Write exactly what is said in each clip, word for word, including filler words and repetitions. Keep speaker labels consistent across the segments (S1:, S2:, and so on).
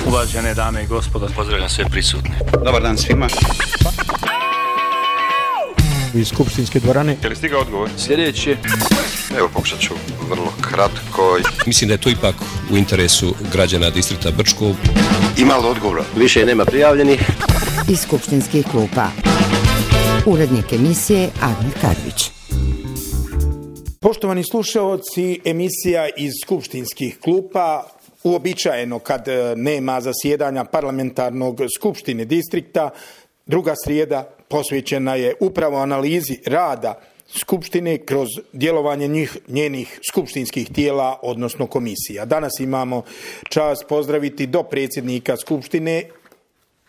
S1: Uvažene dame i gospodo,
S2: pozdravljam sve prisutne.
S3: Dobar dan svima.
S4: Iz skupštinske dvorane.
S5: Je li stigao odgovor?
S2: Sljedeći.
S6: Evo, pokušat ću vrlo kratko.
S7: Mislim da je to ipak u interesu građana distrikta Brčko.
S6: Ima li odgovora?
S8: Više nema prijavljenih.
S9: Iz skupštinskih klupa. Urednik emisije Admir Karvić.
S4: Poštovani slušaoci, emisija iz skupštinskih klupa. Uobičajeno kad nema zasjedanja parlamentarnog skupštine distrikta, druga srijeda posvećena je upravo analizi rada skupštine kroz djelovanje njih, njenih skupštinskih tijela, odnosno komisija. Danas imamo čast pozdraviti dopredsjednika skupštine,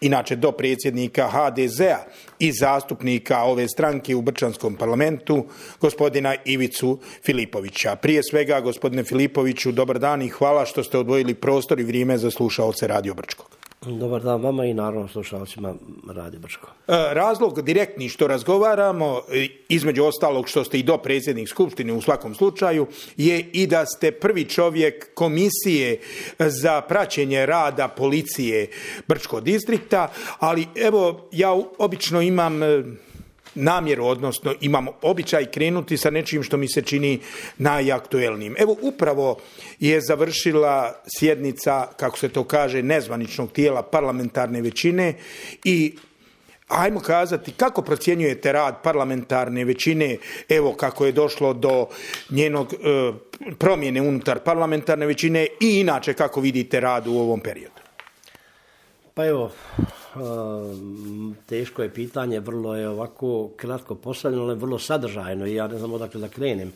S4: inače dopredsjednika ha de zea i zastupnika ove stranke u Brčanskom parlamentu, gospodina Ivicu Filipovića. Prije svega, gospodine Filipoviću, dobar dan i hvala što ste odvojili prostor i vrijeme za slušaoce Radio Brčkog.
S8: Dobar dan vama i naravno slušalcima Radio Brčko.
S4: Razlog direktni što razgovaramo, između ostalog što ste i dopredsjednik skupštine u svakom slučaju, je i da ste prvi čovjek komisije za praćenje rada policije Brčkog distrikta, ali evo ja obično imam namjeru, odnosno imam običaj krenuti sa nečim što mi se čini najaktuelnijim. Evo upravo je završila sjednica, kako se to kaže, nezvaničnog tijela parlamentarne većine i ajmo kazati kako procjenjujete rad parlamentarne većine, evo kako je došlo do njenog e, promjene unutar parlamentarne većine i inače kako vidite rad u ovom periodu.
S8: Pa evo, teško je pitanje, vrlo je ovako kratko postavljeno, ali vrlo sadržajno i ja ne znam odakle da krenem.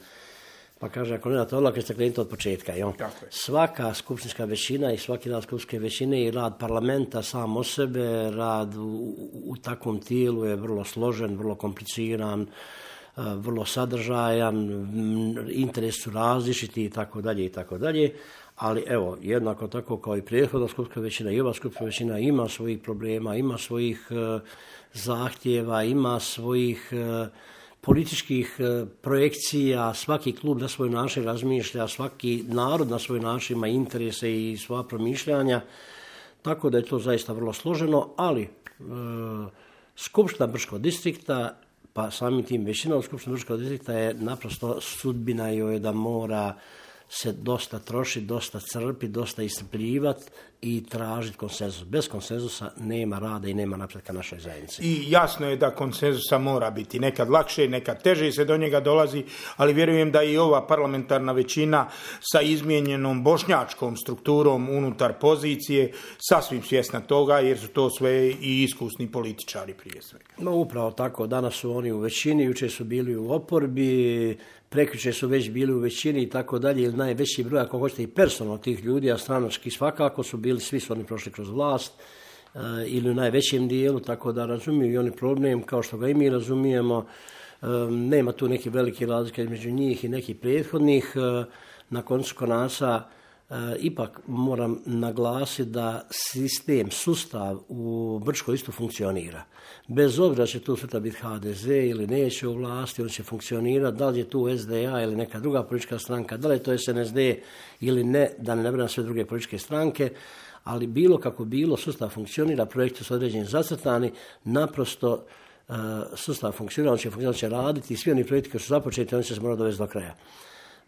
S8: Pa kaže, ako nemate odlake, ste krenite od početka. Jo? Svaka skupštinska većina i svaki rad skupštinske većine i rad parlamenta sam o sebe, rad u, u takvom tijelu je vrlo složen, vrlo kompliciran, vrlo sadržajan, interes su različiti i tako dalje i tako dalje. Ali evo, jednako tako kao i prethodna skupštinska većina i ova skupštinska većina ima svojih problema, ima svojih uh, zahtjeva, ima svojih uh, političkih uh, projekcija, svaki klub na svoj način razmišlja, svaki narod na svoj način ima interese i svoja promišljanja, tako da je to zaista vrlo složeno, ali uh, skupština Brčkog distrikta, pa samim tim većina od skupština Brčkog distrikta je naprosto sudbina joj da mora se dosta troši, dosta crpi, dosta iscrpljivati i tražiti konsenzus. Bez konsenzusa nema rada i nema napretka našoj zajednici.
S4: I jasno je da konsenzusa mora biti. Nekad lakše, nekad teže se do njega dolazi, ali vjerujem da i ova parlamentarna većina sa izmijenjenom bošnjačkom strukturom unutar pozicije sasvim svjesna toga, jer su to sve i iskusni političari prije svega.
S8: No upravo tako, danas su oni u većini, jučer su bili u oporbi, prekjučer su već bili u većini i tako dalje, ili najveći broj, ako hoćete i personalno tih ljudi, a stranački svakako su bili, svi su oni prošli kroz vlast, e, ili u najvećem dijelu, tako da razumiju i oni problem, kao što ga i mi razumijemo, e, nema tu neke velike razlike između njih i nekih prethodnih, e, na koncu konaca, e, ipak moram naglasiti da sistem, sustav u Brčkoj isto funkcionira. Bez obzira će tu sutra biti ha de ze ili neće u vlasti, on će funkcionirati, da li je tu es de a ili neka druga politička stranka, da li je to es en es de ili ne, da ne nabrajam sve druge političke stranke, ali bilo kako bilo, sustav funkcionira, projekti su određeni zacrtani, naprosto uh, sustav funkcionira, on će funkcionirati, će raditi i svi oni projekti koji su započeti, oni će se morati dovesti do kraja.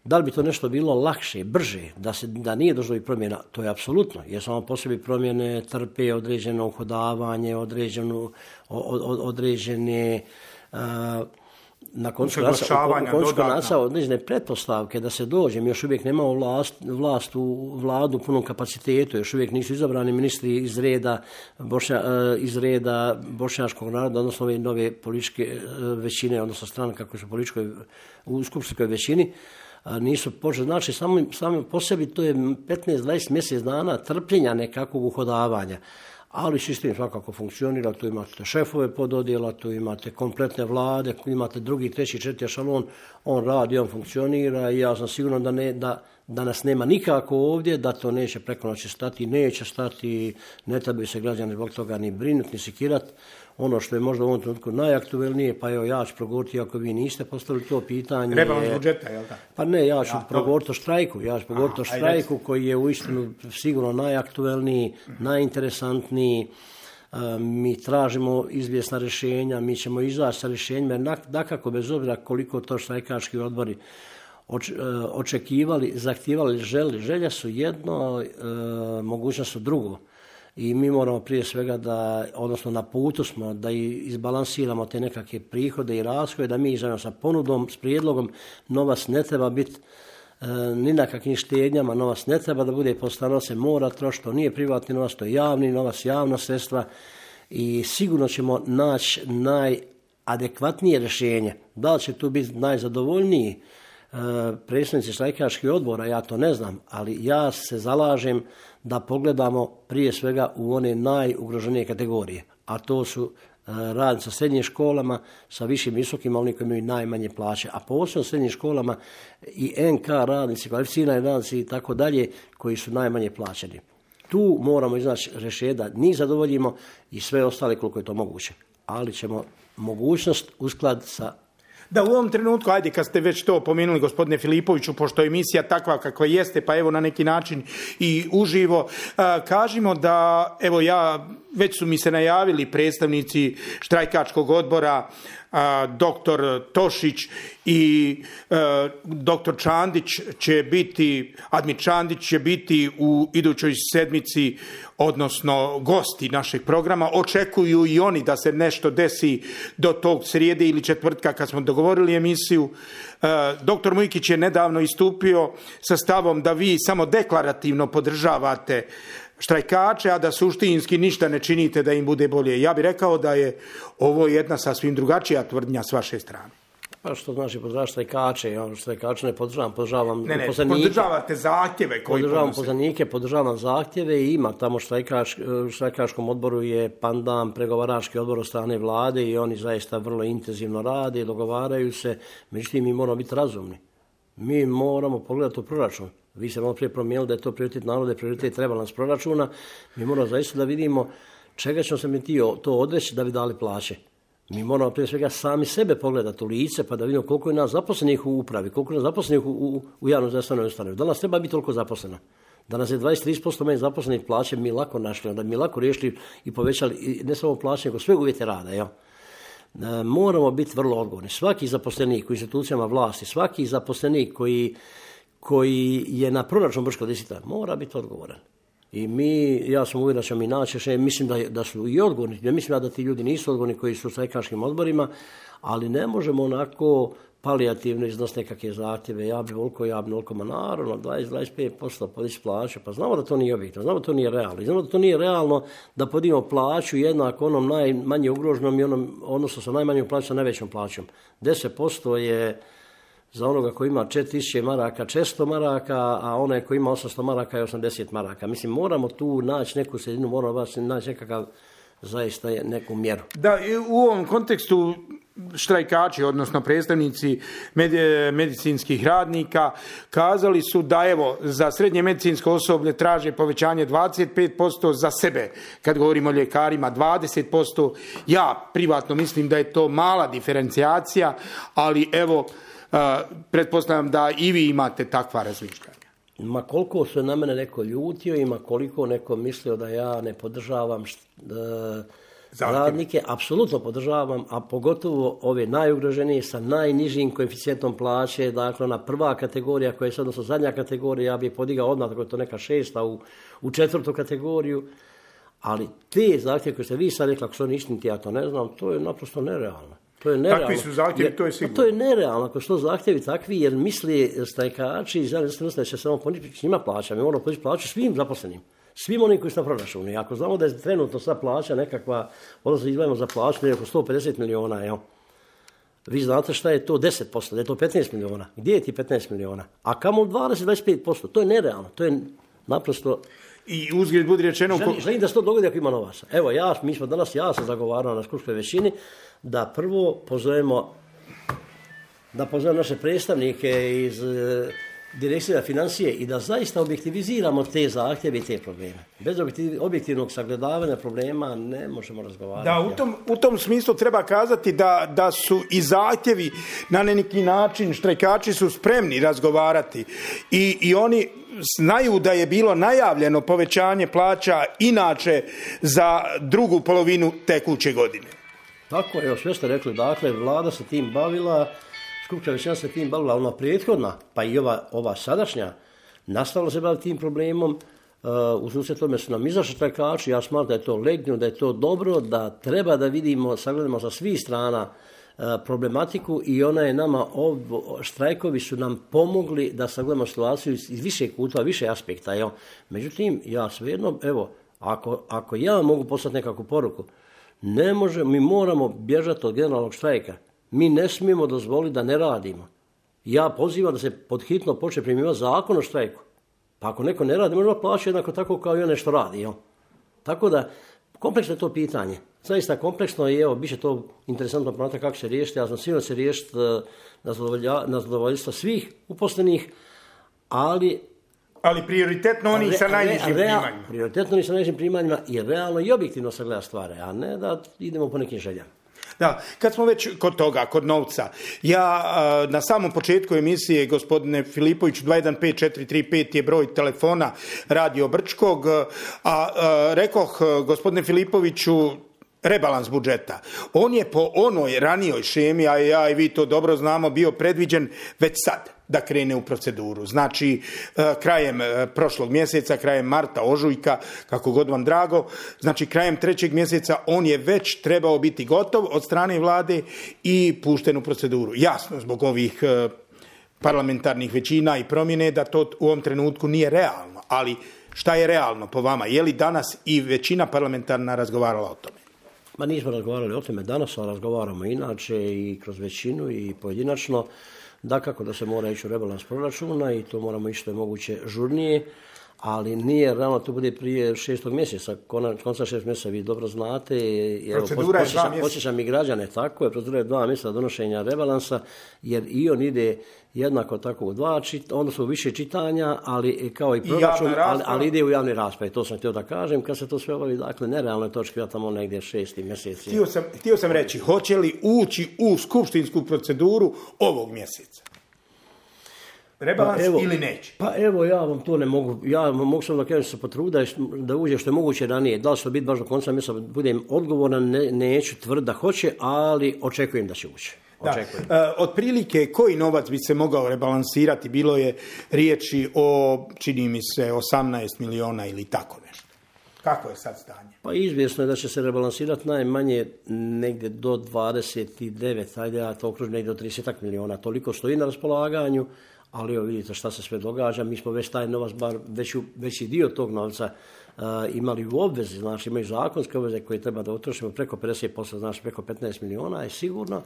S8: Da li bi to nešto bilo lakše, brže, da, se, da nije došlo i promjena? To je apsolutno, jer samo po sebi promjene trpe određeno uhodavanje, određenu, određene uh, na koncu konaca određene pretpostavke da se dođe. Mi još uvijek nemamo vlast, vlast u vladu u punom kapacitetu, još uvijek nisu izabrani ministri iz reda, bošnja, iz reda bošnjačkog naroda, odnosno ove nove političke većine, odnosno stranaka koje su političkoj, u skupštinskoj većini, nisu počeli. Znači, samo, samo po sebi to je petnaest do dvadeset mjesec dana trpljenja nekakvog uhodavanja. Ali sistem svakako funkcionira, tu imate šefove pododjela, tu imate kompletne vlade, imate drugi, treći, četiri ešalon, on radi, on funkcionira i ja sam siguran da, ne, da, da nas nema nikako ovdje, da to neće preko noći stati, neće stati, ne trebaju se građani zbog toga ni brinuti, ni sikirati. Ono što je možda u ovom trenutku najaktuelnije, pa evo ja ću progovoriti ako vi niste postavili to pitanje.
S4: Rebalans budžeta, je li tako?
S8: Pa ne, ja ću ja, progovoriti o štrajku, ja ću progovoriti o štrajku koji je uistinu sigurno najaktuelniji, najinteresantniji. Mi tražimo izvjesna rješenja, mi ćemo izaći sa rješenjima, jer dakako bez obzira koliko to štrajkački odbori očekivali, zahtijevali, želi. Želja su jedno, mogućnost su drugo. I mi moramo prije svega da, odnosno na putu smo, da izbalansiramo te nekakve prihode i rashode, da mi izađemo sa ponudom, s prijedlogom. Novac ne treba biti e, ni na kakvim štednjama, novac ne treba da bude postano, se mora trošiti, to nije privatni novac, to je javni novac, javna sredstva i sigurno ćemo naći najadekvatnije rješenje. Da li će tu biti najzadovoljniji e, predstavnici štrajkačkih odbora, ja to ne znam, ali ja se zalažem da pogledamo prije svega u one najugroženije kategorije, a to su radnici sa srednjim školama, sa višim visokim, oni koji imaju najmanje plaće, a posebno sa srednjim školama i en ka radnici, kvalificirani radnici i tako dalje, koji su najmanje plaćeni. Tu moramo iznaći rješenje da njih zadovoljimo i sve ostale koliko je to moguće, ali ćemo mogućnost uskladiti sa.
S4: Da, u ovom trenutku, ajde, kad ste već to pomenuli, gospodine Filipoviću, pošto je emisija takva kakva jeste, pa evo na neki način i uživo, kažimo da, evo ja, već su mi se najavili predstavnici štrajkačkog odbora, doktor Tošić i doktor Čandić će biti, Admir Čandić će biti u idućoj sedmici, odnosno gosti našeg programa. Očekuju i oni da se nešto desi do tog srijede ili četvrtka kad smo dogovorili emisiju. Doktor Mujkić je nedavno istupio sa stavom da vi samo deklarativno podržavate štrajkače, a da suštinski ništa ne činite da im bude bolje. Ja bih rekao da je ovo jedna sasvim drugačija tvrdnja s vaše strane.
S8: Pa što znači podržavati štrajkače? Ja štrajkače ne podržavam, podržavam
S4: ne, ne,
S8: pozvanike.
S4: Podržavate zahtjeve koji
S8: podržavam pozvanike, podržavam zahtjeve i ima tamo štrajkač, štrajkačkom odboru je pandan pregovarački odbor od strane vlade i oni zaista vrlo intenzivno rade i dogovaraju se. Međutim, mi moramo biti razumni. Mi moramo pogledati u proračun. Vi ste malo prije promijenili da je to prioritet naroda, prioritet rebalans proračuna. Mi moramo zaista da vidimo čega ćemo se mi to odreći da bi dali plaće. Mi moramo prije svega sami sebe pogledati u lice pa da vidimo koliko je nas zaposlenih u upravi, koliko je nas zaposlenih u, u, u javnom zdravstvenoj ustanovi. Da nas treba biti toliko zaposleno. Da nas je dvadeset do trideset posto manje zaposlenih plaće mi lako našli, da mi lako riješili i povećali ne samo plaće, nego sve uvjete rada. Jel? E, moramo biti vrlo odgovorni. Svaki zaposlenik u institucijama vlasti, svaki zaposlenik koji koji je na proračun Brčkog distrikta mora biti odgovoran. I mi, ja sam uvjeren da ćemo mi naći, mislim da, da su i odgovorni, ne mislim da ti ljudi nisu odgovorni koji su u štrajkačkim odborima, ali ne možemo onako palijativno iznositi nekakve zahtjeve, ja bi voliko, ja bi voliko, ma naravno, dvadeset do dvadeset pet posto podići plaću, pa znamo da to nije objektivno, znamo da to nije realno, znamo da to nije realno da podignemo plaću jednako onom najmanje ugroženom i onom, odnosno sa najmanjom plaćom sa najvećom plaćom. deset posto je za onoga koji ima četiri tisuće maraka često maraka, a onaj koji ima osamsto maraka je osamdeset maraka. Mislim, moramo tu naći neku sredinu, moramo naći nekakav zaista neku mjeru.
S4: Da, u ovom kontekstu štrajkači, odnosno predstavnici medicinskih radnika, kazali su da evo za srednje medicinsko osoblje traže povećanje dvadeset pet posto, za sebe, kad govorimo o ljekarima, dvadeset posto. Ja privatno mislim da je to mala diferencijacija, ali evo, Uh, pretpostavljam da i vi imate takva razmišljanja.
S8: Ma koliko se na mene neko ljutio, ima koliko neko mislio da ja ne podržavam št, uh, radnike, apsolutno podržavam, a pogotovo ove najugroženije sa najnižim koeficijentom plaće, dakle ona prva kategorija koja je sad, odnosno zadnja kategorija, ja bih podigao odmah, tako je to neka šesta u, u četvrtu kategoriju, ali te zahtjeve koje ste vi sad rekli, ako su oni istiniti, ja to ne znam, to je naprosto nerealno. To je nerealno.
S4: Takvi su zahtjevi, to je sigurno.
S8: To je nerealno, ako su to zahtjevi takvi, jer misli štrajkači i zajedno da će samo poniti njima plaća. Mi moramo podići plaću svim zaposlenim, svim onim koji su na proračunu. I ako znamo da je trenutno sva plaća nekakva, odnosno izdvajamo za plaću, oko sto pedeset miliona, evo. Vi znate šta je to deset posto, da je to petnaest miliona. Gdje je ti petnaest miliona? A kamo dvadeset do dvadeset pet posto? To je nerealno, to je naprosto.
S4: I uzgled budi rečeno...
S8: Želim, želim da se to dogodi ako ima novaca. Evo, ja, mi smo danas, ja sam zagovarao na skupštoj većini, da prvo pozovemo, da pozovemo naše predstavnike iz Direkcija za financije i da zaista objektiviziramo te zahtjeve i te probleme. Bez objektivnog sagledavanja problema ne možemo razgovarati.
S4: Da, u tom, u tom smislu treba kazati da, da su i zahtjevi na neki način, štrajkači su spremni razgovarati i, i oni znaju da je bilo najavljeno povećanje plaća inače za drugu polovinu tekuće godine.
S8: Tako, evo sve ste rekli, dakle, vlada se tim bavila, skupština većina se tim bavila, ona prethodna, pa i ova, ova sadašnja, nastavila se baviti tim problemom, uh, u susret tome su nam izašli štrajkači, ja smatram da je to legitimno, da je to dobro, da treba da vidimo, sagledamo sa svih strana uh, problematiku i ona je nama, ov, štrajkovi su nam pomogli da sagledamo situaciju iz, iz više kuta, više aspekta. Evo. Međutim, ja svejedno, evo, ako, ako ja mogu poslati nekakvu poruku, ne može, mi moramo bježati od generalnog štrajka. Mi ne smijemo dozvoliti da ne radimo. Ja pozivam da se podhitno počne primjenjivati zakon o štrajku. Pa ako neko ne radi, možda plaća jednako tako kao i one što radi. Jo? Tako da, kompleksno je to pitanje. Zaista kompleksno je, evo, bit će to interesantno pronatrati kako se riješiti. Ja sam sigurno se riješiti na zadovoljstvo svih uposlenih, ali...
S4: Ali prioritetno oni sa najnižim primanjima.
S8: Prioritetno oni sa najnižim primanjima i realno i objektivno sagleda stvari, a ne da idemo po nekim željama.
S4: Da, kad smo već kod toga, kod novca, ja na samom početku emisije, gospodine Filipoviću, dva jedan pet četiri tri pet je broj telefona Radio Brčkog, a, a rekoh, gospodine Filipoviću, rebalans budžeta. On je po onoj ranijoj šemi, a ja i vi to dobro znamo, bio predviđen već sad da krene u proceduru. Znači, krajem prošlog mjeseca, krajem marta, ožujka, kako god vam drago, znači krajem trećeg mjeseca on je već trebao biti gotov od strane vlade i pušten u proceduru. Jasno, zbog ovih parlamentarnih većina i promjene da to u ovom trenutku nije realno, ali šta je realno po vama? Je li danas i većina parlamentarna razgovarala o tome?
S8: Ma nismo razgovarali o tome danas, ali razgovaramo inače i kroz većinu i pojedinačno. Dakako da se mora ići u rebalans proračuna i to moramo ići što je moguće žurnije, ali nije realno, to bude prije šestog mjeseca, konca šest mjeseca, vi dobro znate.
S4: Procedura je dva mjeseca.
S8: Posjećam i građane, tako je, procedura je dva mjeseca donošenja rebalansa, jer i on ide jednako tako u dva čitanja, odnosno u više čitanja, ali kao i proračun, ali, ali ide u javni raspravi, to sam htio da kažem, kad se to sve obavi, dakle, nerealno je točki, ja tamo negdje šesti mjeseci.
S4: Htio sam, htio sam reći, hoće li ući u skupštinsku proceduru ovog mjeseca? Rebalans pa evo, ili neće?
S8: Pa evo, ja vam to ne mogu, ja mogu sam da kažem se potruda da uđe što je moguće ranije. Da li će to biti baš do konca mjeseca, budem odgovoran, ne, neću tvrd da hoće, ali očekujem da će ući.
S4: Da. E, otprilike koji novac bi se mogao rebalansirati? Bilo je riječi o, čini mi se, osamnaest miliona ili tako nešto. Kako je sad stanje?
S8: Pa izvjesno je da će se rebalansirati najmanje negdje do dvadeset devet, ajde ja to okružim negdje do trideset miliona. Toliko stoji na raspolaganju, ali evo vidite šta se sve događa. Mi smo već taj novac, bar veći, veći dio tog novca uh, imali u obvezi, znači imaju zakonske obveze koje treba da utrošimo preko pedeset posto, znači preko petnaest miliona je sigurno.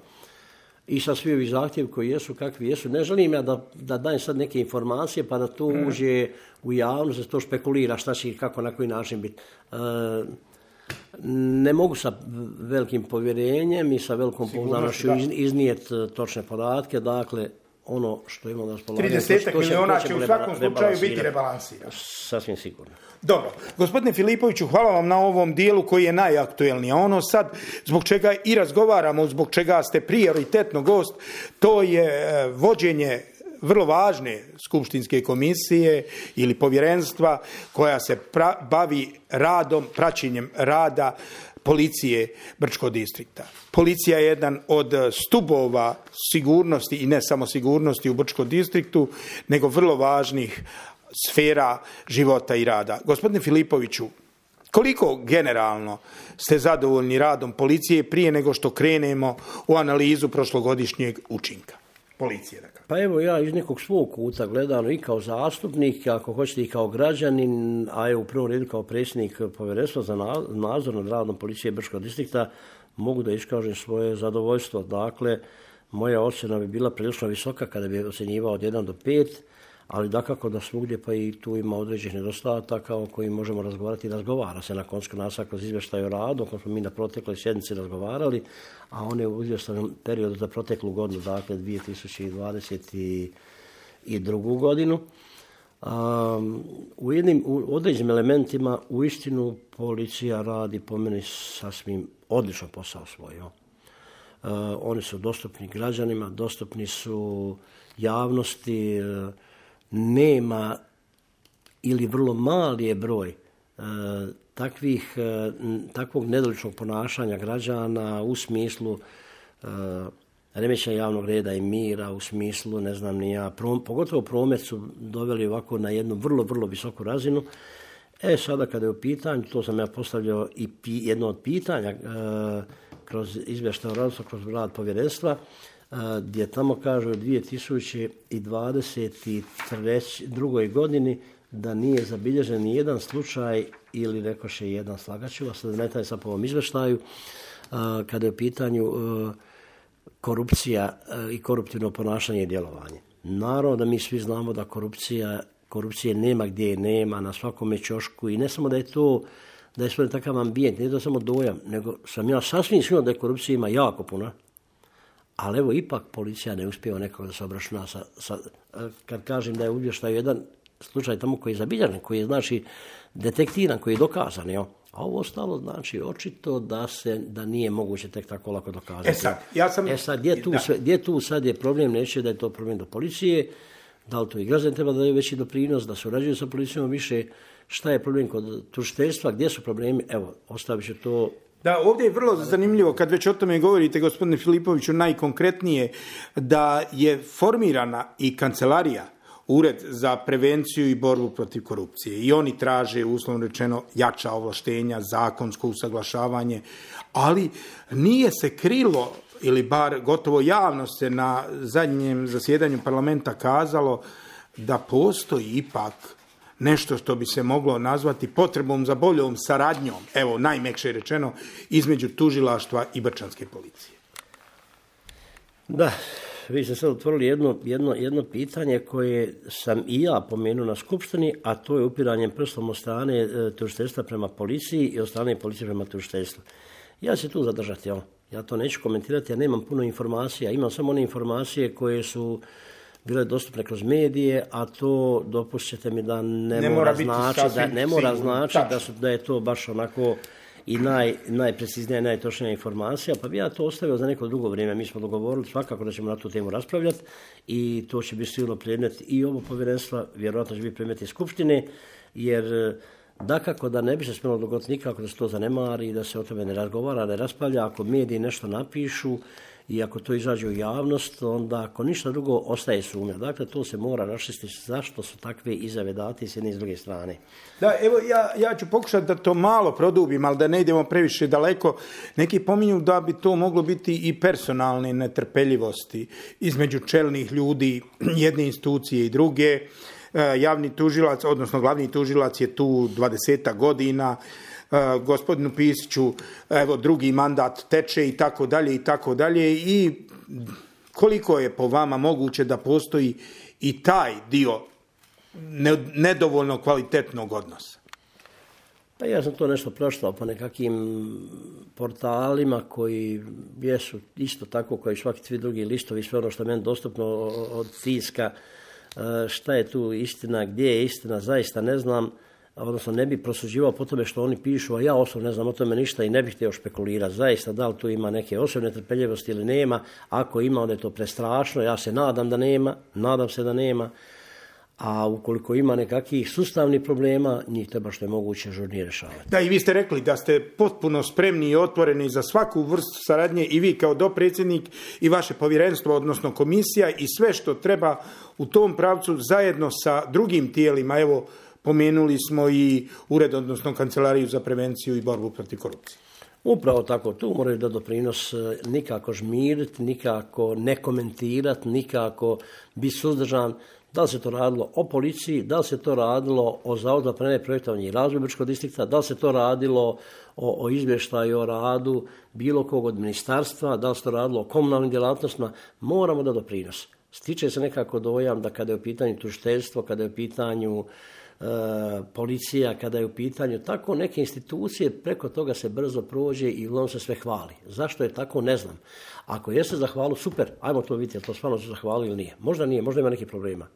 S8: I sa svi ovi zahtjevi koji jesu, kakvi jesu. Ne želim ja da, da dajem sad neke informacije pa da to uđe u javnost, da se to špekulira šta će i kako, na koji način biti. Uh, ne mogu sa velikim povjerenjem i sa velikom pouzdanošću iznijeti točne podatke, dakle, ono što imamo na raspolaganju.
S4: trideset miliona će u svakom slučaju biti rebalansirano.
S8: Sasvim sigurno.
S4: Dobro. Gospodine Filipoviću, hvala vam na ovom dijelu koji je najaktuelniji. A ono sad, zbog čega i razgovaramo, zbog čega ste prioritetno gost, to je vođenje vrlo važne skupštinske komisije ili povjerenstva koja se pra- bavi radom, praćenjem rada policije Brčkog distrikta. Policija je jedan od stubova sigurnosti i ne samo sigurnosti u Brčkom distriktu, nego vrlo važnih sfera života i rada. Gospodine Filipoviću, koliko generalno ste zadovoljni radom policije prije nego što krenemo u analizu prošlogodišnjeg učinka policije? Dakle.
S8: Pa evo ja iz nekog svog kuta gledano i kao zastupnik, ako hoćete i kao građanin, a evo u prvom redu kao predsjednik povjerenstva za nadzor nad radom policije Brčkog distrikta, mogu da iskažem svoje zadovoljstvo. Dakle, moja ocjena bi bila prilično visoka kada bi ocjenjivao od jedan do pet, ali dakako da svugdje pa i tu ima određenih nedostataka o kojim možemo razgovarati i razgovara se na koncu nas kroz izvještaj o radu, kako smo mi na protekloj sjednici razgovarali, a one u izvještajnom periodu za proteklu godinu, dakle dvije tisuće dvadeset drugu godinu. Um, u jednim u određenim elementima uistinu policija radi po meni sasvim odličan posao svoj. Uh, oni su dostupni građanima, dostupni su javnosti, uh, nema ili vrlo mali je broj uh, takvih, uh, takvog nedoličnog ponašanja građana u smislu uh, remećenja javnog reda i mira, u smislu, ne znam ni ja, prom, pogotovo promet su doveli ovako na jednu vrlo, vrlo visoku razinu. E sada kada je u pitanju, to sam ja postavljao i pi, jedno od pitanja uh, kroz izvještaj o radu, kroz rad povjerenstva, uh, gdje tamo kažu u dvije tisuće dvadeset druge godini da nije zabilježen ni jedan slučaj ili rekoše jedan slagaču, a sad ne taj sad po ovom izvještaju, uh, kada je u pitanju uh, korupcija uh, i koruptivno ponašanje i djelovanje. Naravno da mi svi znamo da korupcija, korupcije nema gdje je nema, na svakome ćošku i ne samo da je to, da je svoj takav ambijent, nije to samo dojam, nego sam ja sasvim siguran da je korupcija ima jako puno, ali evo ipak policija ne uspijeva nekako da se obračuna sa, sa, kad kažem da je uvještaju jedan slučaj tamo koji je zabilježen, koji je znači detektiran, koji je dokazan, jo? A ovo ostalo znači očito da se da nije moguće tek tako lako dokazati.
S4: E sad, ja sam...
S8: E sad, gdje tu, sve, gdje tu sad je problem, neće da je to problem do policije, da li to i građani treba da daju veći doprinos, da surađuju sa policijom više, šta je problem kod tužiteljstva, gdje su problemi, evo, ostavit ću to.
S4: Da, ovdje je vrlo zanimljivo, kad već o tome govorite, gospodine Filipoviću, najkonkretnije, da je formirana i kancelarija, Ured za prevenciju i borbu protiv korupcije. I oni traže, uslovno rečeno, jača ovlaštenja, zakonsko usaglašavanje, ali nije se krilo, ili bar gotovo javno se na zadnjem zasjedanju parlamenta kazalo da postoji ipak nešto što bi se moglo nazvati potrebom za boljom saradnjom, evo najmekše rečeno, između tužilaštva i brčanske policije.
S8: Da, vi ste sad otvorili jedno, jedno, jedno pitanje koje sam i ja pomenuo na skupštini, a to je upiranje prstom od strane e, tužiteljstva prema policiji i od strane policije prema tužiteljstvu. Ja ću se tu zadržati, ja. ja to neću komentirati, ja nemam puno informacija, imam samo one informacije koje su bile dostupne kroz medije, a to dopustite mi da ne, ne mora znači da ne mora znači da, su, da je to baš onako i naj, najpreciznija i najtočnija informacija, pa bi ja to ostavio za neko drugo vrijeme. Mi smo dogovorili svakako da ćemo na tu temu raspravljati i to će biti sigurno predmet i ovo povjerenstva, vjerojatno će biti predmet i skupštine, jer dakako da ne bi se smjelo dogoditi nikako da se to zanemari i da se o tome ne razgovara, ne raspravlja. Ako mediji nešto napišu i ako to izađe u javnost, onda ako ništa drugo ostaje sumnja. Dakle, to se mora raščistiti zašto su takve izjave date s jedne i s druge strane.
S4: Da, evo ja, ja ću pokušati da to malo produbim, ali da ne idemo previše daleko. Neki pominju da bi to moglo biti i personalne netrpeljivosti između čelnih ljudi jedne institucije i druge. Javni tužilac, odnosno glavni tužilac je tu dvadesetak godina, Uh, gospodinu Pisiću, evo, drugi mandat teče i tako dalje i tako dalje i koliko je po vama moguće da postoji i taj dio ne, nedovoljno kvalitetnog odnosa?
S8: Pa ja sam to nešto proštao po nekakvim portalima koji jesu isto tako koji svaki svi drugi listovi, sve ono što je meni dostupno od tiska, uh, šta je tu istina, gdje je istina, zaista ne znam. Odnosno ne bi prosuđivao po tome što oni pišu, a ja osobno ne znam o tome ništa i ne bih htio špekulirati. Zaista, da li tu ima neke osobne trpeljivosti ili nema, ako ima, onda je to prestrašno, ja se nadam da nema, nadam se da nema, a ukoliko ima nekakvih sustavnih problema, njih treba što je moguće žurnije rješavati.
S4: Da, i vi ste rekli da ste potpuno spremni i otvoreni za svaku vrstu saradnje i vi kao dopredsjednik i vaše povjerenstvo, odnosno komisija i sve što treba u tom pravcu zajedno sa drugim tijelima, evo, pomenuli smo i ured, odnosno kancelariju za prevenciju i borbu protiv korupcije.
S8: Upravo tako, tu moraju da doprinos nikako žmiriti, nikako ne komentirati, nikako biti suzdržan. Da li se to radilo o policiji, da li se to radilo o Zavodu za planiranje, projektovanje i razvoj Brčkog distrikta, da li se to radilo o, o izvještaju o radu bilo kog od ministarstva, da li se to radilo o komunalnim djelatnostima, moramo da doprinos. Stiče se nekako dojam da kada je u pitanju tužiteljstvo, kada je u pitanju E, policija, kada je u pitanju tako neke institucije, preko toga se brzo prođe i on se sve hvali. Zašto je tako, ne znam. Ako jeste za hvalu, super, ajmo to vidjeti, je to stvarno se zahvali ili nije. Možda nije, možda ima nekih problema.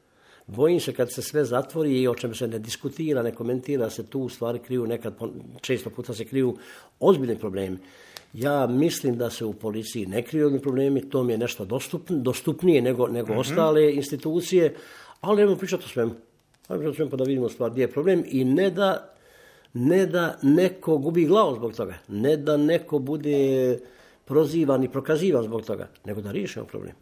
S8: Bojim se kad se sve zatvori i o čemu se ne diskutira, ne komentira, se tu u stvari kriju nekad, često puta se kriju ozbiljni problemi. Ja mislim da se u policiji ne kriju ozbiljni problemi, to mi je nešto dostupn, dostupnije nego, nego mm-hmm. ostale institucije, ali ajmo pričati o svemu. Ajmo pričati o svemu pa da vidimo stvar gdje je problem i ne da, ne da neko gubi glavu zbog toga, ne da neko bude prozivan i prokazivan zbog toga, nego da riješimo problem.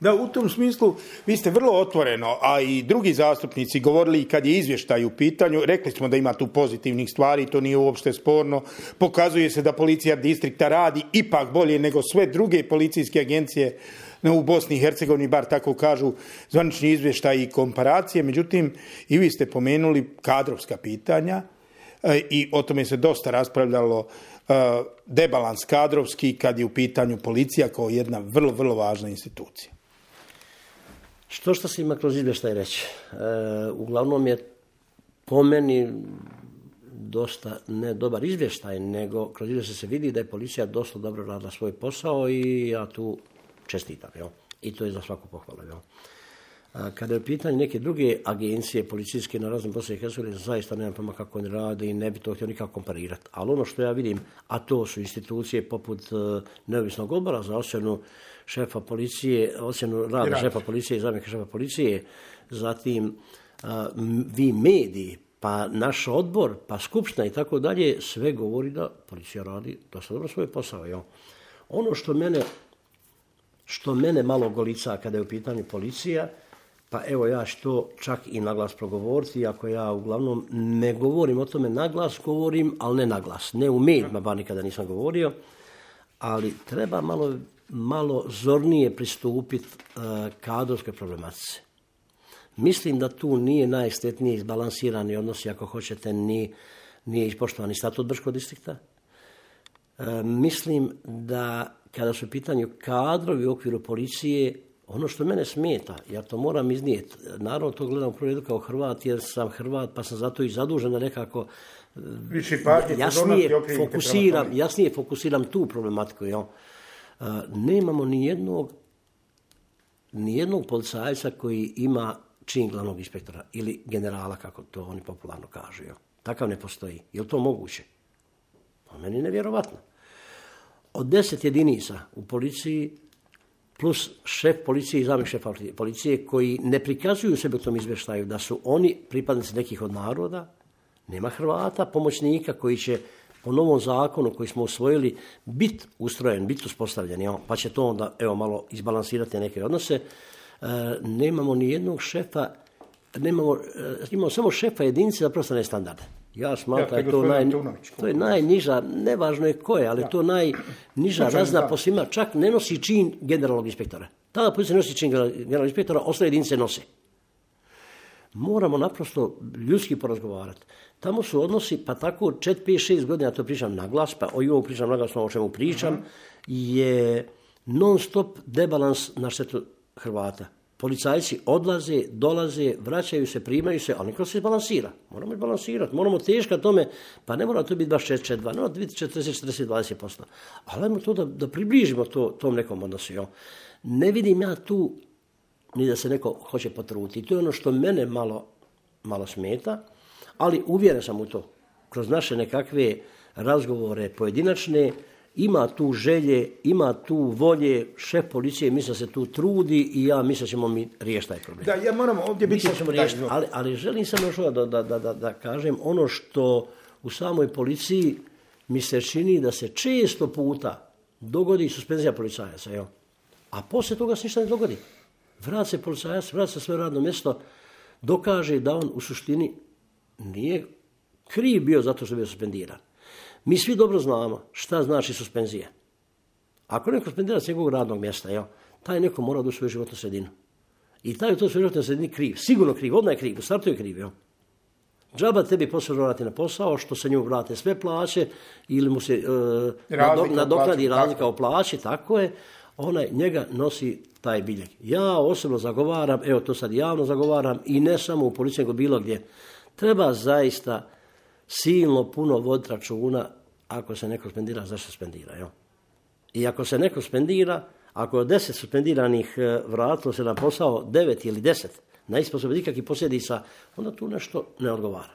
S4: Da, u tom smislu vi ste vrlo otvoreno, a i drugi zastupnici govorili kad je izvještaj u pitanju, rekli smo da ima tu pozitivnih stvari, to nije uopšte sporno, pokazuje se da policija distrikta radi ipak bolje nego sve druge policijske agencije u Bosni i Hercegovini, bar tako kažu zvanični izvještaj i komparacije, međutim i vi ste pomenuli kadrovska pitanja i o tome se dosta raspravljalo, debalans kadrovski kad je u pitanju policija kao jedna vrlo, vrlo važna institucija.
S8: Što što se ima kroz izvještaj reći? E, uglavnom je po meni dosta ne dobar izvještaj, nego kroz izvještaj se vidi da je policija dosta dobro radila svoj posao i ja tu čestitam. Jel? I to je za svaku pohvalu. Jel? A kada je u pitanju neke druge agencije policijske na raznim Bosni i Hercegovini, zaista nemam pojma kako oni rade i ne bi to htio nikako komparirati. Ali ono što ja vidim, a to su institucije poput uh, neovisnog odbora za ocjenu šefa policije, ocjenu rada Rad. šefa policije i zamjenika šefa policije, zatim uh, vi mediji, pa naš odbor, pa skupština i tako dalje, sve govori da policija radi dosta dobro svoj posao. Jo. Ono što mene, što mene malo golica kada je u pitanju policija, pa evo ja što čak i naglas progovoriti, ako ja uglavnom ne govorim o tome naglas, govorim, ali ne naglas. Ne u medijima, bar nikada nisam govorio, ali treba malo, malo zornije pristupiti uh, kadrovske problematice. Mislim da tu nije najstetnije izbalansirani odnosi, ako hoćete, ni, nije ispoštovani statut Brčkog distrikta. Uh, mislim da kada su u pitanju kadrovi u okviru policije, ono što mene smeta, ja to moram iznijeti, naravno to gledam u prvom redu kao Hrvat, jer sam Hrvat, pa sam zato i zadužen da nekako jasnije fokusiram, jasnije fokusiram tu problematiku. Jel? Uh, nemamo ni jednog, ni jednog policajca koji ima čin glavnog inspektora ili generala, kako to oni popularno kažu. Jel? Takav ne postoji. Je li to moguće? Po meni nevjerovatno. Od deset jedinica u policiji plus šef policije i zamjenik šefa policije koji ne prikazuju sebe u tom izvještaju da su oni pripadnici nekih od naroda, nema Hrvata, pomoćnika koji će po novom zakonu koji smo usvojili biti ustrojen, biti uspostavljen, pa će to onda evo, malo izbalansirati neke odnose. E, nemamo ni jednog šefa, nemamo, e, imamo samo šefa jedinice za profesionalne standarde. Ja smatram da je to, naj, to je najniža, nevažno je ko je, ali ja. to najniža razna po svima, čak ne nosi čin generalnog inspektora. Tada policija nosi čin generalnog inspektora, ostale jedinice nose. Moramo naprosto ljudski porazgovarati. Tamo su odnosi, pa tako četiri, pet, šest godina, to pričam na glas, pa o ovom pričam na glas, o čemu pričam, uh-huh. je non stop debalans na štetu Hrvata. Policajci odlaze, dolaze, vraćaju se, primaju se, ali neko se balansira. Moramo balansirati, moramo teška tome, pa ne mora to biti baš četiri četiri dva, ne mora biti četrdeset četrdeset dvadeset posto. Ali ajmo to da, da približimo to, tom nekom odnosu. Jo. Ne vidim ja tu ni da se neko hoće potruditi. To je ono što mene malo, malo smeta, ali uvjeren sam u to. Kroz naše nekakve razgovore pojedinačne, ima tu želje, ima tu volje, šef policije misle se tu trudi i ja mislim da ćemo mi riješiti taj problem.
S4: Da, ja moram ovdje biti...
S8: Riješiti, ali, ali želim samo još da, da, da, da, da kažem ono što u samoj policiji mi se čini da se često puta dogodi suspenzija policajaca. Jo? A poslije toga se ništa ne dogodi. Vrat se policajac, vrat se svoje radno mjesto, dokaže da on u suštini nije kriv bio zato što je bio suspendiran. Mi svi dobro znamo šta znači suspenzija. Ako neko suspendira s njegovog radnog mjesta, jo, taj neko mora da u svoju životnu sredinu. I taj u toj svojoj životnoj sredini kriv, sigurno kriv, odmah je kriv, u startu je kriv. Jo. Džaba tebi posle vrati na posao, što se njemu vrate sve plaće, ili mu se uh, nadoknadi razlika u plaći, tako je, onaj njega nosi taj biljeg. Ja osobno zagovaram, evo to sad javno zagovaram, i ne samo u policiji, nego bilo gdje. Treba zaista silno puno voditi računa ako se neko suspendira, zašto suspendira. Jo? I ako se neko suspendira, ako je deset suspendiranih vratilo se na posao, devet ili deset, na isposobe nikakvih posljedica, onda tu nešto ne odgovara.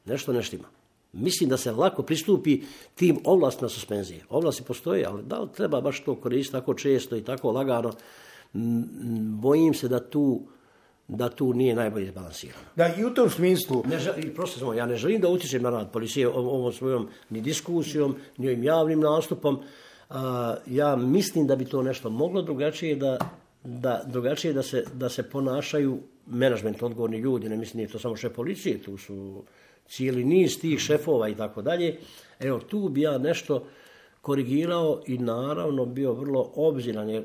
S8: Nešto ne štima. Mislim da se lako pristupi tim ovlastima suspenzije. Ovlasti postoje, ali da li treba baš to koristiti tako često i tako lagano, bojim se da tu, da tu nije najbolje izbalansirano.
S4: Da, i u tom smislu...
S8: Ne želim, prosto samo, ja ne želim da utječem na rad policije ovom svojom ni diskusijom, ni ovim javnim nastupom. A, ja mislim da bi to nešto moglo drugačije da, da, drugačije da, se, da se ponašaju menadžment, odgovorni ljudi, ne mislim nije to samo šef policije, tu su cijeli niz tih šefova i tako dalje. Evo, tu bi ja nešto korigirao i naravno bio vrlo obziran, jer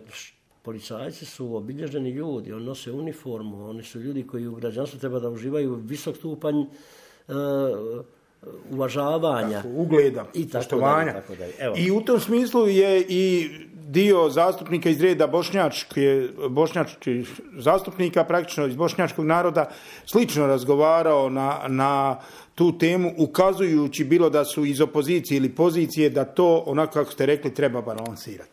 S8: policajci su obilježeni ljudi, oni nose uniformu, oni su ljudi koji u građanstvu treba da uživaju visok stupanj uh, uvažavanja.
S4: Tako, ugleda,
S8: i
S4: poštovanja.
S8: Tako dalje, tako dalje.
S4: I u tom smislu je i dio zastupnika iz reda bošnjačke, bošnjačkih zastupnika, praktično iz bošnjačkog naroda, slično razgovarao na, na tu temu, ukazujući bilo da su iz opozicije ili pozicije, da to, onako kako ste rekli, treba balansirati.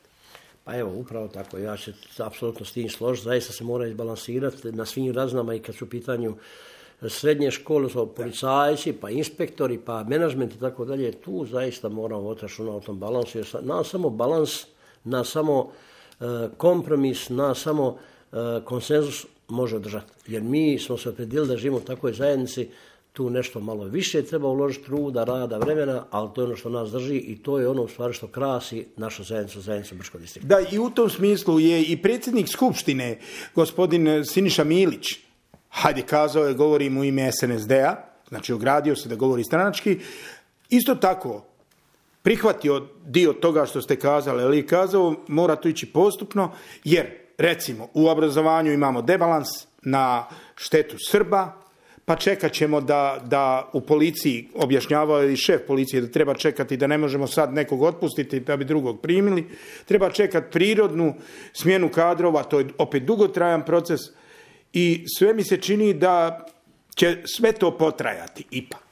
S8: Pa evo, upravo tako, ja se apsolutno s tim složiti, zaista se mora izbalansirati na svim razinama i kad su u pitanju srednje škole, su policajci, pa inspektori, pa menadžment i tako dalje, tu zaista moramo voditi računa o tom balansu, jer na samo balans, na samo uh, kompromis, na samo uh, konsenzus može održati. Jer mi smo se opredijelili da živimo u takvoj zajednici, tu nešto malo više treba uložiti truda, rada, vremena, ali to je ono što nas drži i to je ono u stvari što krasi našu zajednicu, zajednicu Brčkog distrikta.
S4: Da, i u tom smislu je i predsjednik Skupštine, gospodin Siniša Milić, hajde kazao je, govorim u ime S N S D-a, znači ogradio se da govori stranački, isto tako prihvatio dio toga što ste kazali, ali kazao mora to ići postupno, jer recimo u obrazovanju imamo debalans na štetu Srba, pa čekat ćemo da, da u policiji objašnjavao i šef policije da treba čekati, da ne možemo sad nekog otpustiti da bi drugog primili. Treba čekati prirodnu smjenu kadrova, to je opet dugotrajan proces i sve mi se čini da će sve to potrajati ipak.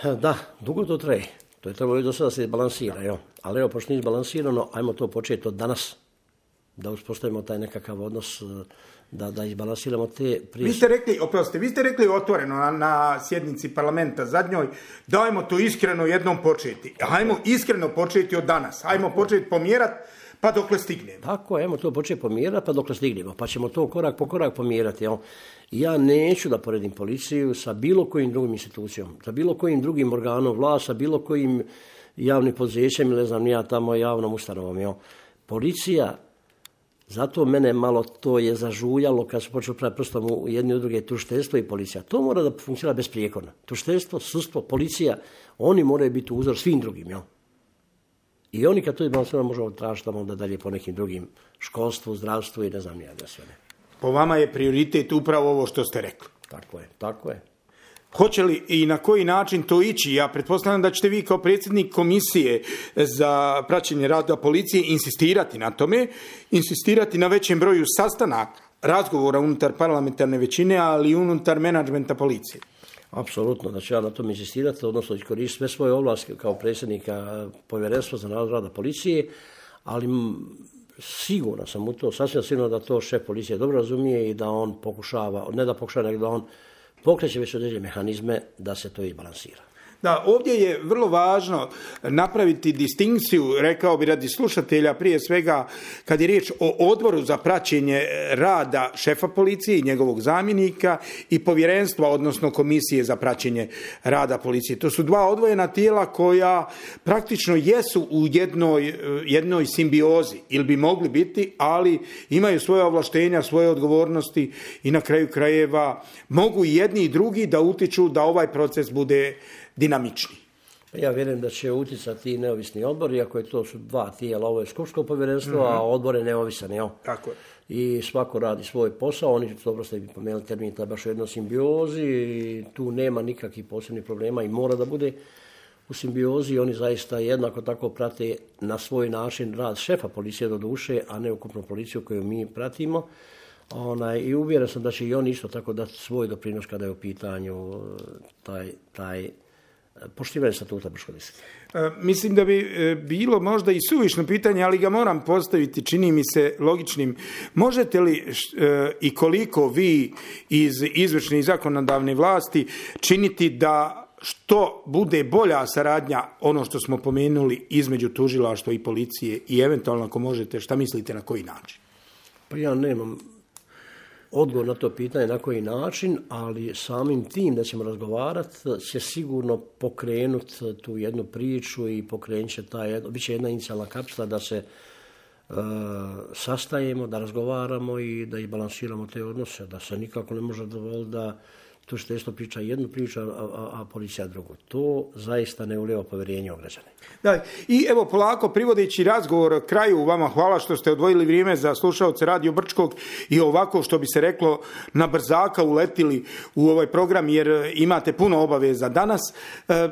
S8: Da, dugo to traje. To je trebalo i do sada se izbalansira, jo. Ali evo, pošto nije izbalansirano, ajmo to početi od danas, da uspostavimo taj nekakav odnos, da, da izbalansiramo te prije...
S4: Vi ste rekli, oprostite, vi ste rekli otvoreno na, na sjednici parlamenta zadnjoj, dajmo to iskreno jednom početi. Hajmo iskreno početi od danas. Hajmo početi pomjerati pa dokle stignemo.
S8: Tako, ajmo to početi pomjerati pa dokle stignemo. Pa ćemo to korak po korak pomjerati. Jo. Ja neću da poredim policiju sa bilo kojim drugim institucijom, sa bilo kojim drugim organom vlasti, sa bilo kojim javnim poduzećem ili ne znam, ja tamo javnom ustanovom. Jo. Policija, zato mene malo to je zažuljalo kad su počeli praviti prstom u jedne udruge tužiteljstvo i policija. To mora da funkcionira besprijekorno. Tužiteljstvo, sudstvo, policija, oni moraju biti uzor svim drugim. Jo. I oni kad to izbalansirano možemo tražiti tamo da dalje po nekim drugim školstvu, zdravstvu i ne znam nija da sve ne.
S4: Po vama je prioritet upravo ovo što ste rekli.
S8: Tako je, tako je.
S4: Hoće li i na koji način to ići? Ja pretpostavljam da ćete vi kao predsjednik komisije za praćenje rada policije insistirati na tome, insistirati na većem broju sastanaka, razgovora unutar parlamentarne većine, ali i unutar menadžmenta policije.
S8: Apsolutno, da ću ja na tom insistirati, odnosno iskoristiti sve svoje ovlasti kao predsjednika povjerenstva za nadzor rada policije, ali sigurno sam u to, sasvim sigurno da to šef policije dobro razumije i da on pokušava, ne da pokušava, nego da on pokreće već određene mehanizme da se to izbalansira.
S4: Da, ovdje je vrlo važno napraviti distinkciju, rekao bi radi slušatelja, prije svega kad je riječ o odboru za praćenje rada šefa policije i njegovog zamjenika i povjerenstva, odnosno komisije za praćenje rada policije. To su dva odvojena tijela koja praktično jesu u jednoj, jednoj simbiozi ili bi mogli biti, ali imaju svoje ovlaštenja, svoje odgovornosti i na kraju krajeva mogu i jedni i drugi da utiču da ovaj proces bude dinamični.
S8: Ja vjerujem da će utjecati i neovisni odbor, iako je to su dva tijela, ovo je skupštinsko povjerenstvo, mm-hmm. a odbor je neovisan. Jo?
S4: Tako je.
S8: I svako radi svoj posao, oni, dobro ste bi pomenuli termin, to je baš u jednoj simbiozi, i tu nema nikakvih posebnih problema i mora da bude u simbiozi. Oni zaista jednako tako prate na svoj način rad šefa policije do duše, a ne ukupnu policiju koju mi pratimo. Onaj, i uvjeren sam da će i oni isto tako dati svoj doprinos kada je u pitanju taj, taj poštivanje statuta Brčkog distrikta.
S4: E, mislim da bi e, bilo možda i suvišno pitanje, ali ga moram postaviti, čini mi se logičnim. Možete li e, i koliko vi iz izvršne i zakonodavne vlasti činiti da što bude bolja saradnja, ono što smo pomenuli, između tužilaštva i policije i eventualno ako možete, šta mislite na koji način?
S8: Pa ja nemam odgovor na to pitanje na koji način, ali samim tim da ćemo razgovarati će sigurno pokrenuti tu jednu priču i pokrenut će ta jedna, bit će jedna inicijalna kapsula da se e, sastajemo, da razgovaramo i da izbalansiramo te odnose, da se nikako ne može dovoljiti da tužiteljstvo priča jednu priču, a, a, a policija drugu. To zaista ne ulijeva povjerenje u građane.
S4: Da, i evo polako privodeći razgovor kraju, vama hvala što ste odvojili vrijeme za slušaoce Radio Brčkog i ovako što bi se reklo na brzaka uletili u ovaj program jer imate puno obaveza danas. E,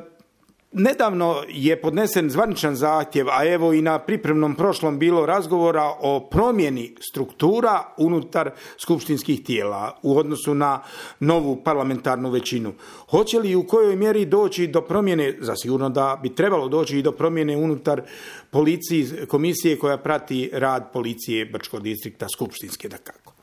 S4: Nedavno je podnesen zvaničan zahtjev, a evo i na pripremnom prošlom bilo razgovora o promjeni struktura unutar skupštinskih tijela u odnosu na novu parlamentarnu većinu. Hoće li i u kojoj mjeri doći do promjene, zasigurno da bi trebalo doći i do promjene unutar policiji, komisije koja prati rad policije Brčkog distrikta, skupštinske dakako?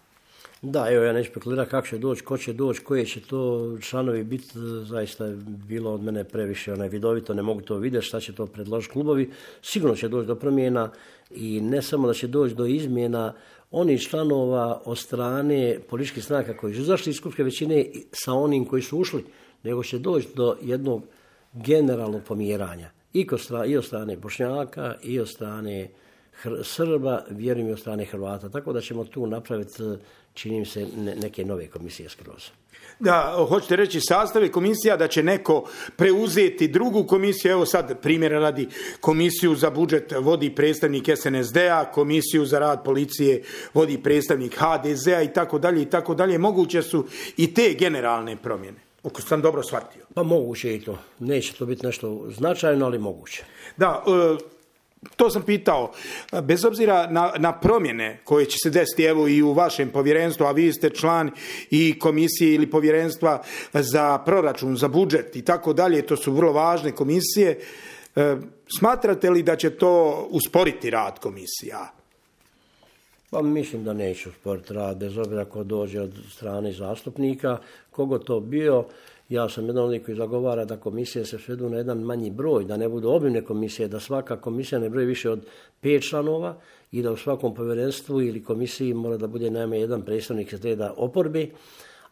S8: Da, evo ja neću spekulirati kako će doći, ko će doći, koje će to članovi biti, zaista je bilo od mene previše onaj vidovito, ne mogu to vidjeti šta će to predložiti klubovi. Sigurno će doći do promjena i ne samo da će doći do izmjena onih članova od strane političkih stranaka koji su izašli iz skupštinske većine sa onim koji su ušli, nego će doći do jednog generalnog pomjeranja i, i od strane Bošnjaka i od strane Srba, vjerujem i od strane Hrvata. Tako da ćemo tu napraviti, čini mi se, neke nove komisije skroz.
S4: Da, hoćete reći sastave komisija da će neko preuzeti drugu komisiju, evo sad primjera radi, komisiju za budžet vodi predstavnik es en es de a, komisiju za rad policije vodi predstavnik ha de ze a i tako dalje i tako dalje. Moguće su i te generalne promjene, ako sam dobro shvatio.
S8: Pa moguće i to. Neće to biti nešto značajno, ali moguće.
S4: Da, e, to sam pitao, bez obzira na, na promjene koje će se desiti evo i u vašem povjerenstvu, a vi ste član i komisije ili povjerenstva za proračun, za budžet i tako dalje, to su vrlo važne komisije. E, smatrate li da će to usporiti rad komisija?
S8: Pa mislim da neće usporiti rad, bez obzira ko dođe od strane zastupnika, kogo to bio. Ja sam jedan od koji zagovara da komisije se svedu na jedan manji broj, da ne budu obimne komisije, da svaka komisija ne broji više od pet članova i da u svakom povjerenstvu ili komisiji mora da bude najmanje jedan predstavnik iz reda oporbe,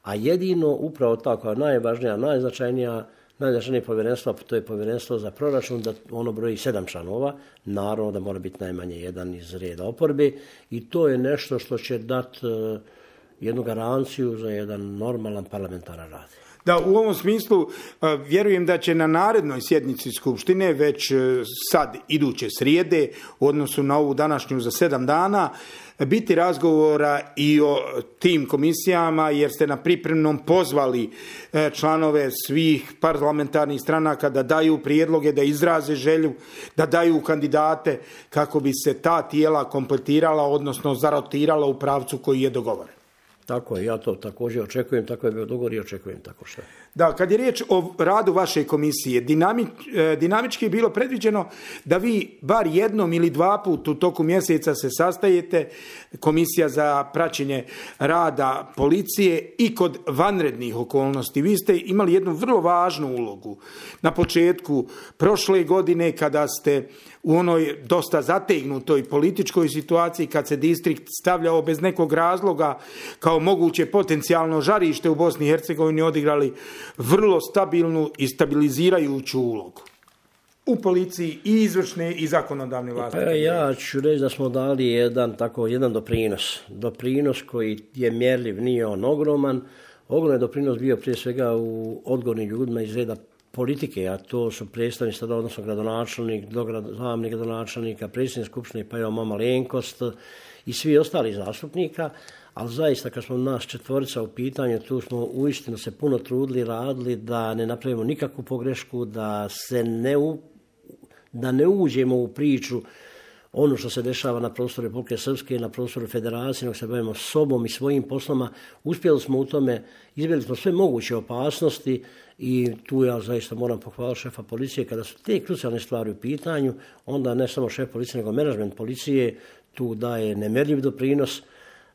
S8: a jedino upravo tako, najvažnija, najznačajnija, najznačajnije povjerenstvo, to je povjerenstvo za proračun, da ono broji sedam članova, naravno da mora biti najmanje jedan iz reda oporbe i to je nešto što će dati uh, jednu garanciju za jedan normalan parlamentaran rad.
S4: Da, u ovom smislu vjerujem da će na narednoj sjednici Skupštine, već sad iduće srijede, u odnosu na ovu današnju za sedam dana, biti razgovora i o tim komisijama, jer ste na pripremnom pozvali članove svih parlamentarnih stranaka da daju prijedloge, da izraze želju, da daju kandidate kako bi se ta tijela kompletirala, odnosno zarotirala u pravcu koji je dogovoren.
S8: Tako je, ja to također očekujem, tako je bio dogovor i očekujem tako što.
S4: Da, kad je riječ o radu vaše komisije, dinami, dinamički je bilo predviđeno da vi bar jednom ili dva put u toku mjeseca se sastajete, komisija za praćenje rada policije i kod vanrednih okolnosti. Vi ste imali jednu vrlo važnu ulogu na početku prošle godine kada ste u onoj dosta zategnutoj političkoj situaciji, kad se distrikt stavljao bez nekog razloga kao moguće potencijalno žarište u Bosni i Hercegovini, odigrali vrlo stabilnu i stabilizirajuću ulogu u policiji i izvršne i zakonodavne vlasti.
S8: Pa ja ću reći da smo dali jedan, tako, jedan doprinos. Doprinos koji je mjerljiv, nije on ogroman. Ogroman je doprinos bio prije svega u odgovornim ljudima iz reda politike, a to su predstavnici sada, odnosno gradonačelnik, zamjenik gradonačelnika, predsjednik skupštine, pa evo mama Lenkost i svi ostali zastupnika, ali zaista kad smo nas četvorica u pitanju, tu smo uistinu se puno trudili, radili da ne napravimo nikakvu pogrešku, da se ne, u, da ne uđemo u priču ono što se dešava na prostoru Republike Srpske, na prostoru Federacije, nego se bavimo sobom i svojim poslama. Uspjeli smo u tome, izbjegli smo sve moguće opasnosti i tu ja zaista moram pohvaliti šefa policije. Kada su te krucijalne stvari u pitanju, onda ne samo šef policije, nego menadžment policije tu daje nemjerljiv doprinos,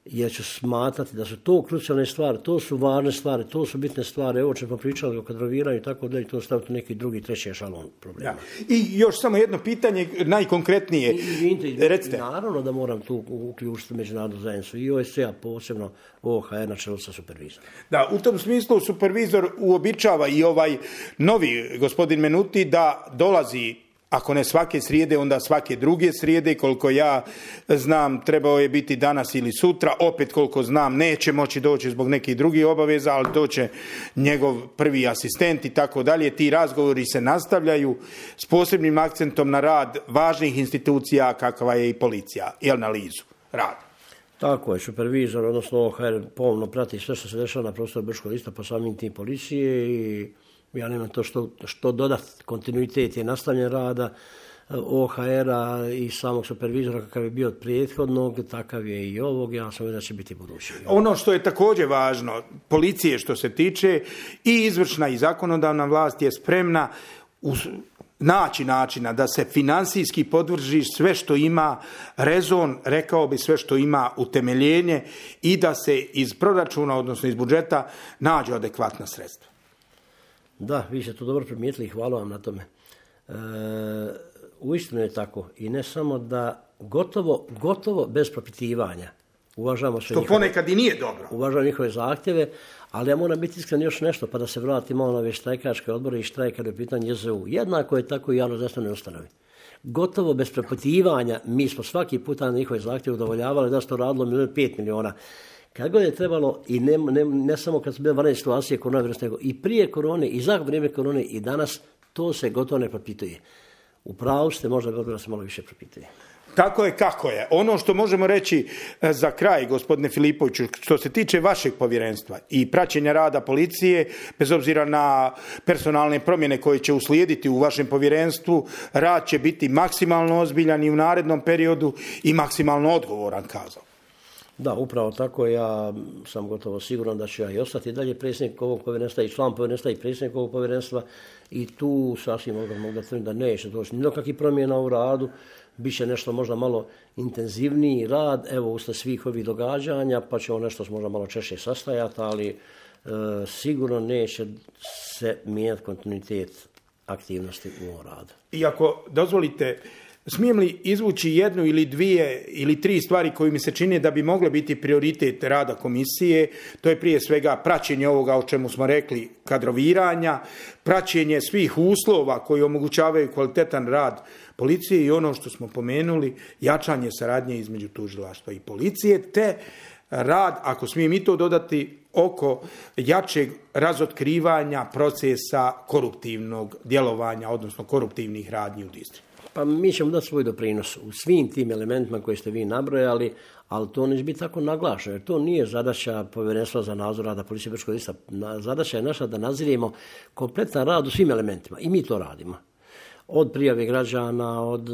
S8: jer ću smatrati da su to krucijalne stvari, to su važne stvari, to su bitne stvari. Evo ćemo pričali o kadroviranju i tako da i to staviti neki drugi, treći ešalon problema.
S4: Ja. I još samo jedno pitanje, najkonkretnije.
S8: I, i, i,
S4: Recite.
S8: Naravno da moram tu uključiti međunarodnu zajednicu i O S C-a, posebno O H R na čelu sa supervizorom.
S4: Da, u tom smislu supervizor uobičava i ovaj novi gospodin Menuti da dolazi, ako ne svake srijede, onda svake druge srijede. Koliko ja znam, trebao je biti danas ili sutra. Opet, koliko znam, neće moći doći zbog nekih drugih obaveza, ali doće njegov prvi asistent i tako dalje. Ti razgovori se nastavljaju s posebnim akcentom na rad važnih institucija kakva je i policija i analizu rada.
S8: Tako je, supervizor, odnosno O H R, pomno prati sve što se dešava na prostoru Brčkog lista, pa samim tim policije i ja nemam to što, što dodati. Kontinuitet je nastavljen rada O H R-a i samog supervizora kakav je bio od prethodnog, takav je i ovog, ja sam uvijek da će biti budući.
S4: Ono što je također važno, policije što se tiče, i izvršna i zakonodavna vlast je spremna uz naći načina da se financijski podvrži sve što ima rezon, rekao bi sve što ima utemeljenje i da se iz proračuna, odnosno iz budžeta, nađu adekvatna sredstva.
S8: Da, vi ste to dobro primijetili i hvala vam na tome. E, uistinu je tako i ne samo da gotovo, gotovo bez propitivanja uvažamo sve
S4: što
S8: njihove,
S4: ponekad i nije dobro.
S8: Uvažamo njihove zahtjeve, ali ja moram biti iskren još nešto pa da se vratimo na ove štrajkačke odbore i štrajka do pitanja J Z U. Jednako je tako i javno zdravstvene ustanove. Gotovo bez propitivanja mi smo svaki puta na njihove zahtjeve udovoljavali da se to radilo milijun pet miliona. Kad god je trebalo, i ne, ne, ne samo kad su bile vanredne situacije koronavirus, nego i prije korone, i za vrijeme korone, i danas, to se gotovo ne propituje. U pravu ste, možda bi da se malo više propituje.
S4: Tako je kako je. Ono što možemo reći za kraj, gospodine Filipoviću, što se tiče vašeg povjerenstva i praćenja rada policije, bez obzira na personalne promjene koje će uslijediti u vašem povjerenstvu, rad će biti maksimalno ozbiljan i u narednom periodu i maksimalno odgovoran, kazao.
S8: Da, upravo tako. Ja sam gotovo siguran da ću ja i ostati dalje predsjednik ovog povjerenstva i član povjerenstva i predsjednik ovog povjerenstva i tu sasvim mogu, mogu da tvrdim da neće doći ni do kakvih promjena u radu. Biće nešto možda malo intenzivniji rad, evo usled svih ovih događanja, pa ćemo nešto možda malo češće sastajati, ali e, sigurno neće se mijenjati kontinuitet aktivnosti u ovom radu.
S4: I ako dozvolite, smijem li izvući jednu ili dvije ili tri stvari koje mi se čine da bi mogle biti prioritet rada komisije? To je prije svega praćenje ovoga o čemu smo rekli, kadroviranja, praćenje svih uslova koji omogućavaju kvalitetan rad policije i ono što smo pomenuli, jačanje saradnje između tužilaštva i policije, te rad, ako smijem i to dodati, oko jačeg razotkrivanja procesa koruptivnog djelovanja, odnosno koruptivnih radnji u distriktu.
S8: Pa mi ćemo dati svoj doprinos u svim tim elementima koje ste vi nabrojali, ali to neće biti tako naglašeno, jer to nije zadaća povjerenstva za nadzor rada policije Brčkog lista. Zadaća je naša da nadziremo kompletan rad u svim elementima i mi to radimo. Od prijave građana, od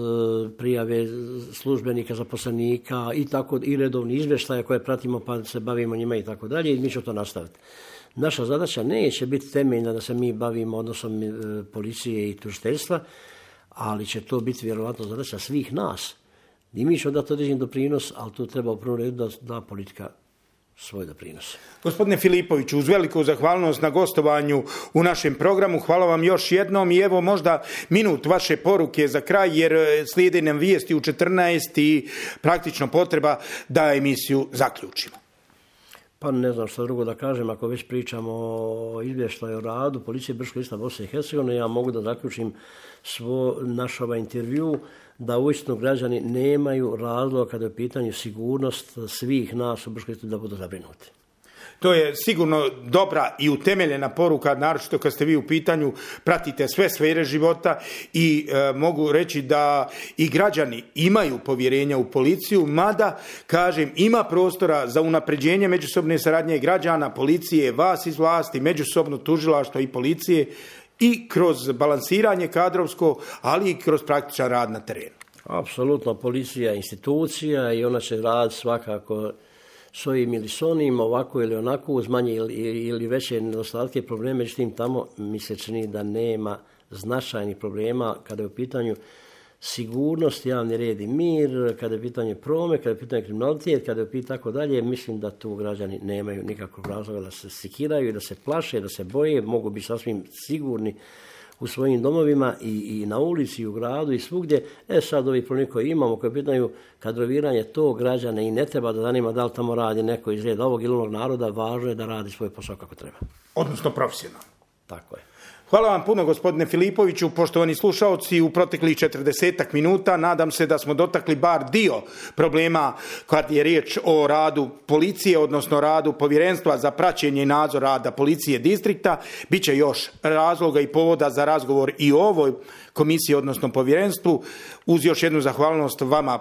S8: prijave službenika, zaposlenika i tako i redovni izvještaje koje pratimo pa se bavimo njima i tako dalje i mi ćemo to nastaviti. Naša zadaća neće biti temeljna da se mi bavimo odnosom policije i tužiteljstva, ali će to biti vjerovatno zadaća svih nas. I mi ćemo dati određen doprinos, ali tu treba u prvom redu da, da politika svoj doprinos.
S4: Gospodine Filipoviću, uz veliku zahvalnost na gostovanju u našem programu, hvala vam još jednom i evo možda minut vaše poruke za kraj, jer slijede nam vijesti u četrnaest i praktično potreba da emisiju zaključimo.
S8: Pa ne znam što drugo da kažem, ako već pričamo o izvještaju o radu policije Brčkog lista Bosne i Hercegovine, ja mogu da zaključim svo naš ovaj intervju da uistinu građani nemaju razloga kada je u pitanju sigurnost svih nas u Brčkom listu da budu zabrinuti.
S4: To je sigurno dobra i utemeljena poruka, naročito kad ste vi u pitanju, pratite sve sfere života i e, mogu reći da i građani imaju povjerenja u policiju, mada, kažem, ima prostora za unapređenje međusobne saradnje građana, policije, vas iz vlasti, međusobno tužilaštva i policije i kroz balansiranje kadrovsko, ali i kroz praktičan rad na terenu.
S8: Apsolutno, policija je institucija i ona će raditi svakako s ovim ili s onim, ovako ili onako, uz manje ili, ili veće nedostatke i probleme. Međutim, tamo mi se čini da nema značajnih problema kada je u pitanju sigurnost, javni red i mir, kada je u pitanju promet, kada je u pitanju kriminalitet, kada je u pitanju tako dalje. Mislim da tu građani nemaju nikakvog razloga da se sekiraju i da se plaše, da se boje, mogu biti sasvim sigurni u svojim domovima i, i na ulici, i u gradu i svugdje. E sad ovi problemi koji imamo, koji pitaju kadroviranje to građane i ne treba da zanima da li tamo radi neko iz reda ovog ili onog naroda, važno je da radi svoj posao kako treba.
S4: Odnosno profesionalno.
S8: Tako je.
S4: Hvala vam puno, gospodine Filipoviću. Poštovani slušaoci, u proteklih četrdesetak minuta nadam se da smo dotakli bar dio problema kad je riječ o radu policije, odnosno radu Povjerenstva za praćenje i nadzor rada policije distrikta. Biće još razloga i povoda za razgovor i o ovoj komisiji, odnosno povjerenstvu. Uz još jednu zahvalnost vama,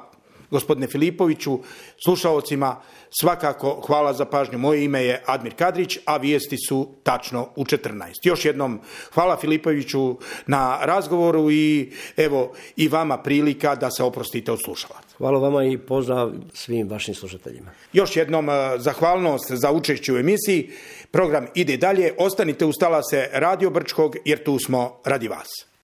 S4: gospodine Filipoviću, slušaocima svakako hvala za pažnju. Moje ime je Admir Kadrić, a vijesti su tačno u četrnaest. Još jednom hvala Filipoviću na razgovoru i evo i vama prilika da se oprostite od slušalaca.
S8: Hvala vama i pozdrav svim vašim slušateljima.
S4: Još jednom zahvalnost za učešće u emisiji. Program ide dalje. Ostanite uz talase Radio Brčkog jer tu smo radi vas.